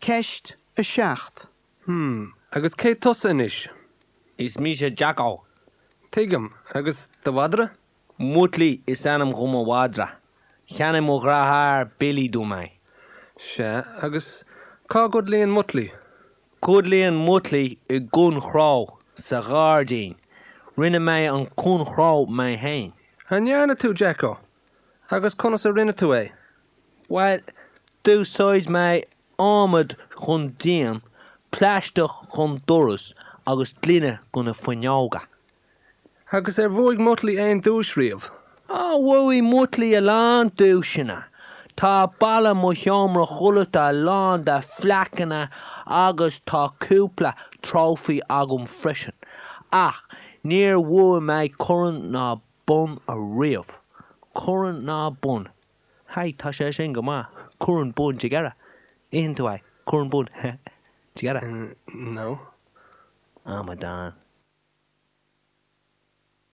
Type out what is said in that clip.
Ceist 7. Hmm, agus cé tusa anois? Is mise Jacko. Tuigim, agus do mhadra? Mutlaí is ainm do mo mhadra. Cheannaigh mo dheartháir Billy dom é. Sea, agus cá gcodlaíonn Mutlaí? Codlaíonn Mutlaí i gcornchró sa ghairdín. Rinne mé an cornchró mé fhéin. An ndearna tú, Jacko? Agus conas a rinne tú é? Bhuel, d'úsáid mé adhmad don díon, plaisteach don doras agus gloine do na fuinneoga. Agus ar bhuaigh Mutlaí aon duais riamh? Á, bhuaigh Mutlaí a lán duaiseanna. Tá balla mo sheomra codlata lán de phlaiceanna agus tá cúpla trófaí agam freisin. Ach níor bhuaigh mé corn ná bonn ariamh. Corn ná bonn. Hey, tá sé sin go maith. Corn bonn, do you get it? Itheann tú é. Corn bonn. Do you get it? No. Amadán.